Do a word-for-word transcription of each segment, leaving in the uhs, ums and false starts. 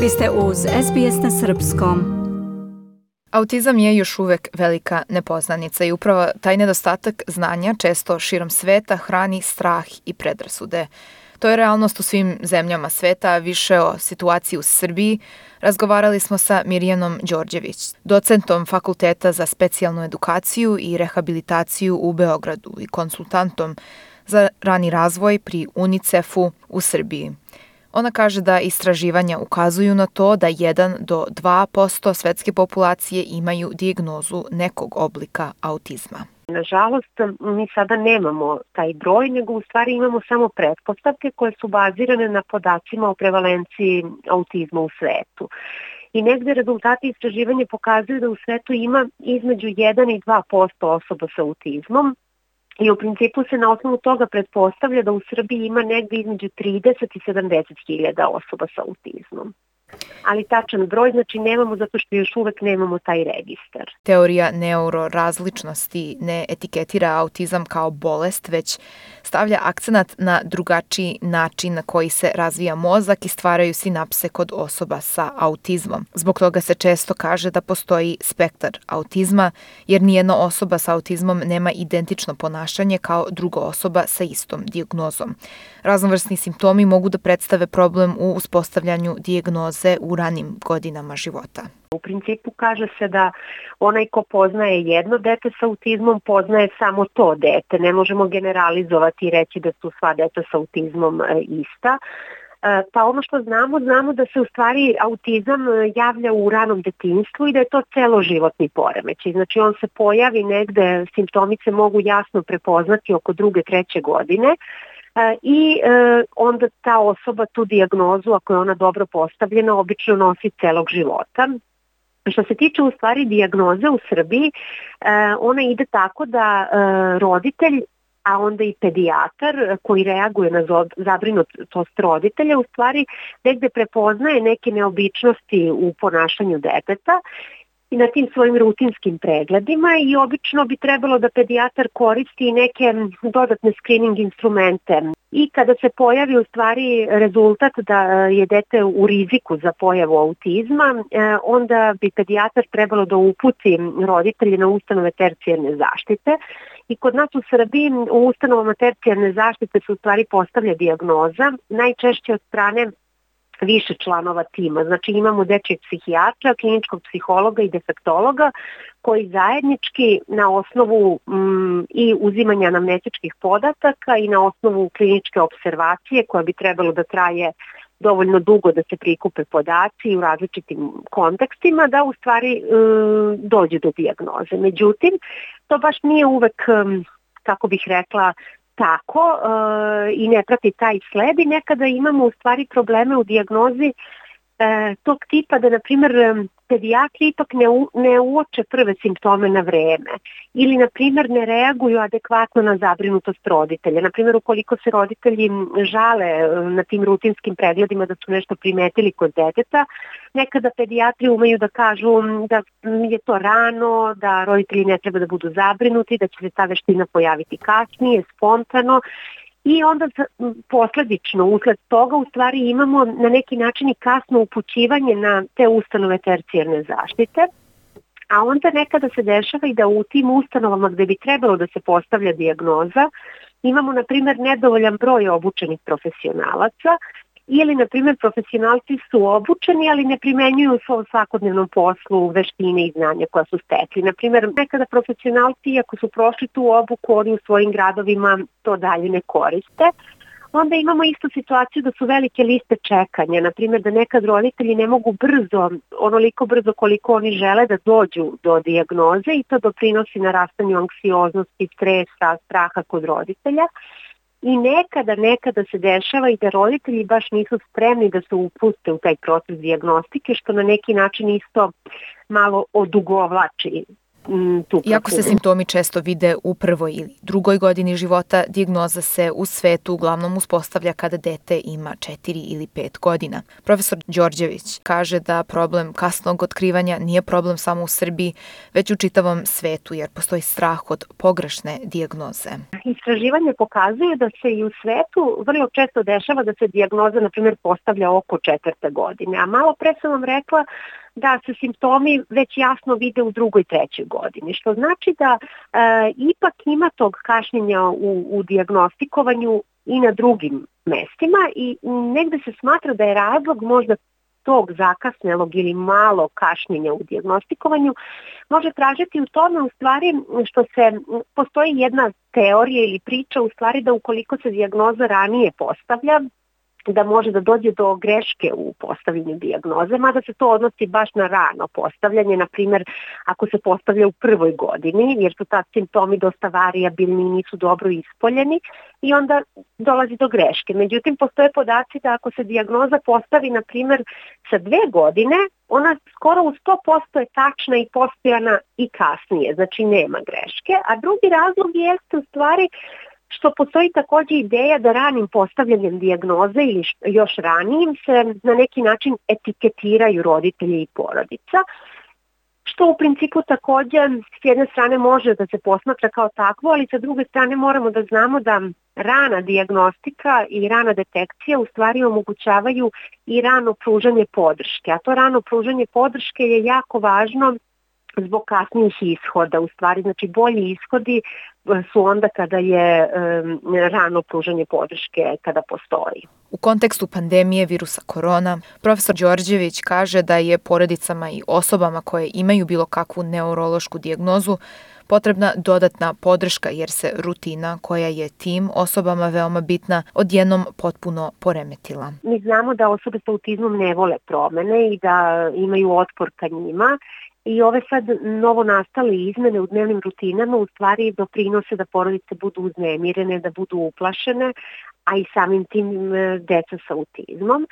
Vi ste uz S B S na srpskom. Autizam je još uvek velika nepoznanica i upravo taj nedostatak znanja često širom sveta hrani strah i predrasude. To je realnost u svim zemljama sveta, a više o situaciji u Srbiji razgovarali smo sa Mirjanom Đorđević, docentom Fakulteta za specijalnu edukaciju i rehabilitaciju u Beogradu i konsultantom za rani razvoj pri UNICEF-u u Srbiji. Ona kaže da istraživanja ukazuju na to da jedan do dva posto svetske populacije imaju dijagnozu nekog oblika autizma. Nažalost, mi sada nemamo taj broj, nego u stvari imamo samo pretpostavke koje su bazirane na podacima o prevalenciji autizma u svetu. I negde rezultati istraživanja pokazuju da u svetu ima između jedan i dva posto osoba sa autizmom, i u principu se na osnovu toga pretpostavlja da u Srbiji ima negde između trideset i sedamdeset hiljada osoba sa autizmom. Ali tačan broj znači nemamo zato što još uvek nemamo taj registar. Teorija neurorazličnosti ne etiketira autizam kao bolest, već stavlja akcenat na drugačiji način na koji se razvija mozak i stvaraju sinapse kod osoba sa autizmom. Zbog toga se često kaže da postoji spektar autizma, jer nijedna osoba sa autizmom nema identično ponašanje kao druga osoba sa istom dijagnozom. Raznovrsni simptomi mogu da predstave problem u uspostavljanju dijagnoze u ranim godinama života. U principu kaže se da onaj ko poznaje jedno dete sa autizmom poznaje samo to dete. Ne možemo generalizovati i reći da su sva deta sa autizmom ista. Pa ono što znamo, znamo da se u stvari autizam javlja u ranom detinjstvu i da je to celoživotni poremećaj. Znači on se pojavi negde, simptomi se mogu jasno prepoznati oko druge, treće godine. I e, onda ta osoba tu dijagnozu, ako je ona dobro postavljena, obično nosi celog života. Što se tiče u stvari dijagnoze u Srbiji, e, ona ide tako da e, roditelj, a onda i pedijatar koji reaguje na zabrinutost roditelja, u stvari negde prepoznaje neke neobičnosti u ponašanju deteta i na tim svojim rutinskim pregledima i obično bi trebalo da pedijatar koristi neke dodatne screening instrumente. I kada se pojavi u stvari rezultat da je dete u riziku za pojavu autizma, onda bi pedijatar trebalo da uputi roditelje na ustanove tercijarne zaštite. I kod nas u Srbiji u ustanovama tercijarne zaštite se u stvari postavlja dijagnoza, najčešće od strane više članova tima. Znači imamo dečjeg psihijatra, kliničkog psihologa i defektologa koji zajednički na osnovu mm, i uzimanja anamnetičkih podataka i na osnovu kliničke observacije koja bi trebalo da traje dovoljno dugo da se prikupe podaci u različitim kontekstima, da u stvari mm, dođe do dijagnoze. Međutim, to baš nije uvek, kako bih rekla, tako e, i ne prati taj sled i nekada imamo u stvari probleme u dijagnozi e, tog tipa da, na primjer, pedijatri ipak ne, u, ne uoče prve simptome na vreme ili, na primjer, ne reaguju adekvatno na zabrinutost roditelja. Na primjer, ukoliko se roditelji žale na tim rutinskim pregledima da su nešto primetili kod deteta, nekada pedijatri umeju da kažu da je to rano, da roditelji ne treba da budu zabrinuti, da će se ta veština pojaviti kasnije, spontano. I onda posledično, usled toga, u stvari imamo na neki način i kasno upućivanje na te ustanove tercijarne zaštite, a onda nekada se dešava i da u tim ustanovama gde bi trebalo da se postavlja dijagnoza imamo, na primjer, nedovoljan broj obučenih profesionalaca ili, na primjer, profesionalci su obučeni, ali ne primenjuju u svom svakodnevnom poslu veštine i znanja koja su stekli. Na primjer, nekada profesionalci, iako su prošli tu obuku, oni u svojim gradovima to dalje ne koriste. Onda imamo istu situaciju da su velike liste čekanja. Na primjer, da nekad roditelji ne mogu brzo, onoliko brzo koliko oni žele da dođu do dijagnoze i to doprinosi narastanju anksioznosti, stresa, straha kod roditelja. I nekada, nekada se dešava i da roditelji baš nisu spremni da se upuste u taj proces dijagnostike, što na neki način isto malo odugovlači m, tu Iako se proceduru. simptomi često vide u prvoj ili drugoj godini života, dijagnoza se u svetu uglavnom uspostavlja kada dete ima četiri ili pet godina. Profesor Đorđević kaže da problem kasnog otkrivanja nije problem samo u Srbiji, već u čitavom svetu, jer postoji strah od pogrešne dijagnoze. Istraživanje pokazuje da se i u svetu vrlo često dešava da se dijagnoza, na primjer, postavlja oko četvrte godine, a malo pre sam vam rekla da se simptomi već jasno vide u drugoj, trećoj godini, što znači da e, ipak ima tog kašnjenja u, u dijagnostikovanju i na drugim mestima i negde se smatra da je razlog možda tog zakasnelog ili malo kašnjenja u dijagnostikovanju može tražiti u tome u stvari što se postoji jedna teorija ili priča u stvari da ukoliko se dijagnoza ranije postavlja, da može da dođe do greške u postavljanju dijagnoze, mada se to odnosi baš na rano postavljanje, na primjer ako se postavlja u prvoj godini, jer su tad simptomi dosta varijabilni i nisu dobro ispoljeni i onda dolazi do greške. Međutim, postoje podaci da ako se dijagnoza postavi, na primjer, sa dve godine, ona skoro u sto posto je tačna i postojana i kasnije, znači nema greške, a drugi razlog jeste u stvari što postoji također ideja da ranim postavljanjem dijagnoze ili još ranijim se na neki način etiketiraju roditelji i porodica, što u principu također s jedne strane može da se posmatra kao takvo, ali sa druge strane moramo da znamo da rana dijagnostika i rana detekcija u stvari omogućavaju i rano pružanje podrške, a to rano pružanje podrške je jako važno zbog kasnijih ishoda. U stvari, znači bolji ishodi su onda kada je um, rano pružanje podrške kada postoji. U kontekstu pandemije virusa korona, profesor Đorđević kaže da je porodicama i osobama koje imaju bilo kakvu neurološku dijagnozu potrebna dodatna podrška jer se rutina koja je tim osobama veoma bitna odjednom potpuno poremetila. Mi znamo da osobe sa autizmom ne vole promene i da imaju otpor ka njima. I ove sad novo nastale izmene u dnevnim rutinama u stvari doprinose da porodice budu uznemirene, da budu uplašene, a i samim tim deca sa autizmom.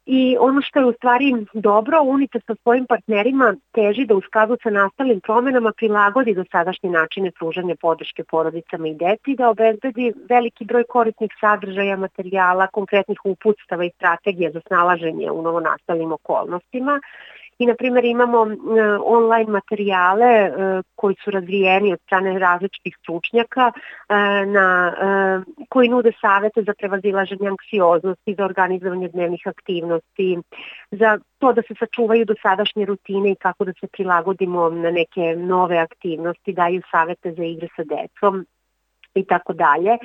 I ono što je u stvari dobro, UNICEF sa svojim partnerima teži da u skladu sa nastalim promenama prilagodi dosadašnje načine pružanja podrške porodicama i deci, da obezbedi veliki broj korisnih sadržaja, materijala, konkretnih uputstava i strategija za snalaženje u novonastalim okolnostima. I, na primjer, imamo online materijale koji su razvijeni od strane različitih stručnjaka na, koji nude savete za prevazilaženje anksioznosti, za organizovanje dnevnih aktivnosti, za to da se sačuvaju dosadašnje rutine i kako da se prilagodimo na neke nove aktivnosti, daju savete za igre sa decom i tako dalje.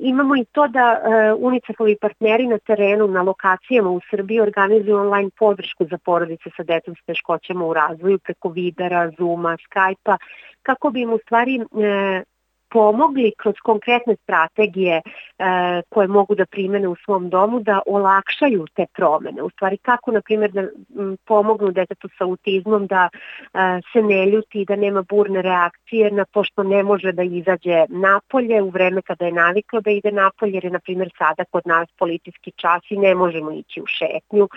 Imamo i to da uh, UNICEF-ovi partneri na terenu, na lokacijama u Srbiji organizuju online podršku za porodice sa decom s teškoćama u razvoju preko Vibera, Zooma, Skype-a, kako bi im u stvari uh, pomogli kroz konkretne strategije e, koje mogu da primene u svom domu da olakšaju te promene. U stvari kako, na primjer, da m, pomognu detetu sa autizmom da e, se ne ljuti, da nema burne reakcije na to što ne može da izađe napolje u vreme kada je naviklo da ide napolje, jer je, na primjer, sada kod nas policijski čas i ne možemo ići u šetnju.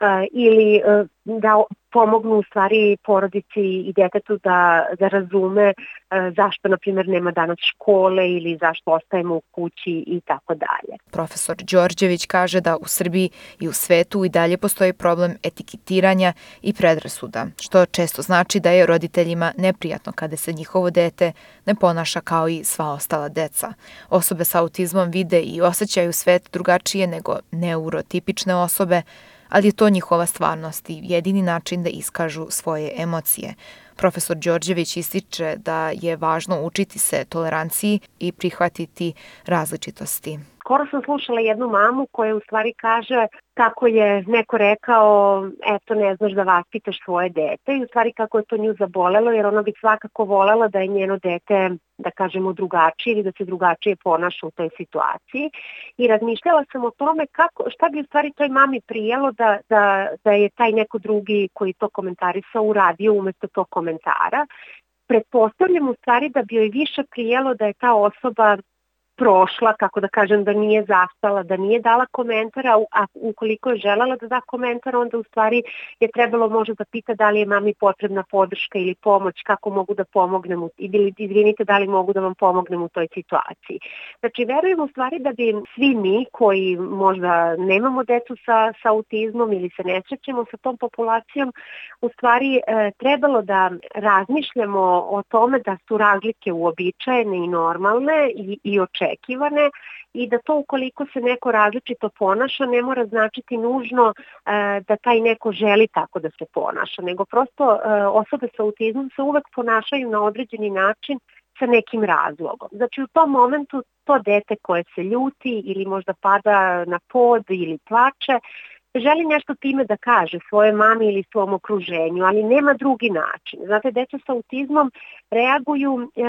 E, ili e, da pomognu u stvari porodici i detetu da, da razume e, zašto, na primjer, nema danas škole ili zašto ostajemo u kući i tako dalje. Profesor Đorđević kaže da u Srbiji i u svetu i dalje postoji problem etiketiranja i predrasuda, što često znači da je roditeljima neprijatno kada se njihovo dete ne ponaša kao i sva ostala deca. Osobe sa autizmom vide i osjećaju svet drugačije nego neurotipične osobe, ali je to njihova stvarnost i jedini način da iskažu svoje emocije. Profesor Đorđević ističe da je važno učiti se toleranciji i prihvatiti različitosti. Skoro sam slušala jednu mamu koja u stvari kaže kako je neko rekao, eto, ne znaš da vaspitaš svoje dete, i u stvari kako je to nju zabolelo, jer ona bi svakako volela da je njeno dete, da kažemo, drugačije ili da se drugačije ponaša u toj situaciji. I razmišljala sam o tome kako, šta bi u stvari toj mami prijelo da, da, da je taj neko drugi koji to komentarisao uradio umjesto tog komentara. Pretpostavljam u stvari da bi joj više prijelo da je ta osoba prošla, kako da kažem, da nije zastala, da nije dala komentara, a ukoliko je želela da da komentar, onda u stvari je trebalo možda da pita da li je mami potrebna podrška ili pomoć, kako mogu da pomognem, ili izvinite, da li mogu da vam pomognem u toj situaciji. Znači, verujem u stvari da bi svi mi koji možda nemamo decu sa, sa autizmom ili se ne srećemo sa tom populacijom, u stvari e, trebalo da razmišljamo o tome da su razlike uobičajene i normalne i, i očekivane i da to ukoliko se neko različito ponaša ne mora značiti nužno e, da taj neko želi tako da se ponaša, nego prosto e, osobe sa autizmom se uvek ponašaju na određeni način sa nekim razlogom. Znači u tom momentu to dete koje se ljuti ili možda pada na pod ili plače, želi nešto time da kaže svoje mami ili svom okruženju, ali nema drugi način. Znate, deca sa autizmom reaguju e,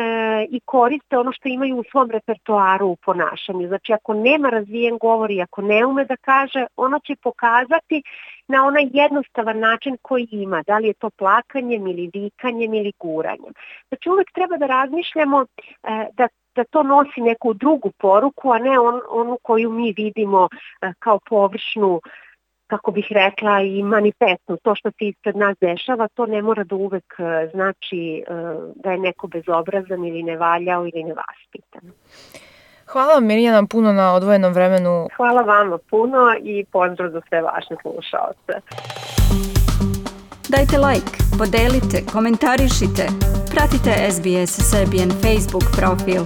i koriste ono što imaju u svom repertoaru u ponašanju. Znači, ako nema razvijen govor i ako ne ume da kaže, ono će pokazati na onaj jednostavan način koji ima, da li je to plakanjem ili vikanjem ili guranjem. Znači, uvek treba da razmišljamo e, da da to nosi neku drugu poruku, a ne on, onu koju mi vidimo e, kao površnu, kako bih rekla, i manifestno. To što se ispred nas dešava, to ne mora da uvek znači da je neko bezobrazan ili nevaljao ili nevaspitan. Hvala vam, Mirjana, puno na odvojenom vremenu. Hvala vama puno i pozdrav za sve vaše slušaoce. Dajte like, podelite, komentarišite, pratite S B S Serbian Facebook profil.